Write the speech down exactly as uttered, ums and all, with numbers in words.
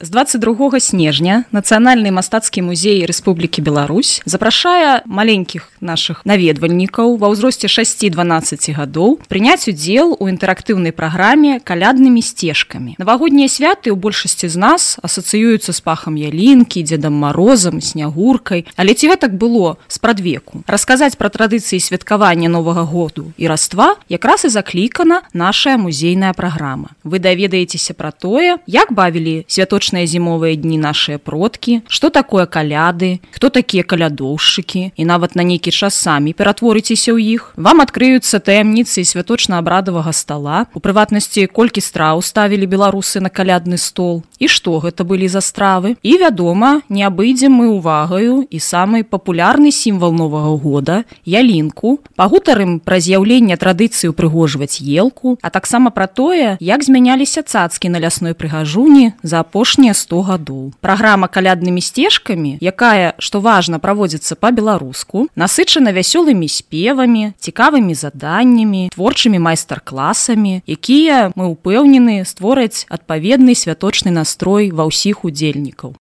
З двадцать другога снежня Нацыянальны мастацкі музей Рэспублікі Беларусь запрашае маленькіх нашых наведвальнікаў ва ўзросце шасці-дванаццаці гадоў прыняць удзел у інтэрактыўнай праграме каляднымі сцежкамі. Навагоднія святы ў большасці з нас асацыююцца з пахам ялінкі, Дзедам Марозам, снягуркай. Але ці гэтак было спрадвеку? Расказаць пра традыцыі святкавання Новага году і Раства якраз і заклікана нашая музейная праграма. Вы даведаецеся пра тое, як бавілі святочныя зімовыя дні нашыя продкі, што такое каляды, хто такія калядоўшчыкі, і нават на нейкі час самі ператворыцеся ў іх. Вам адкрыюцца таямніцы святочна-абрадавага стала, у прыватнасці, колькі страў ставілі беларусы на калядны стол, і што гэта былі за стравы. І, вядома, не абыдзем мы увагаю і самы папулярны сімвал Новага года – ялінку. Пагутарым пра з'яўленне традыцыі упрыгожваць елку, а таксама пра тое, як змяняліся цацкі на лясной прыгажуні за апошнія сто гадоў. Праграма каляднымі сцежкамі, якая, што важна, праводзіцца па-беларуску, насычана вясёлымі спевамі, цікавымі заданнямі, творчымі майстар-класамі, якія, мы ўпэўнены, створаць адпаведны святочны настрой ва ўсіх удзельнікаў.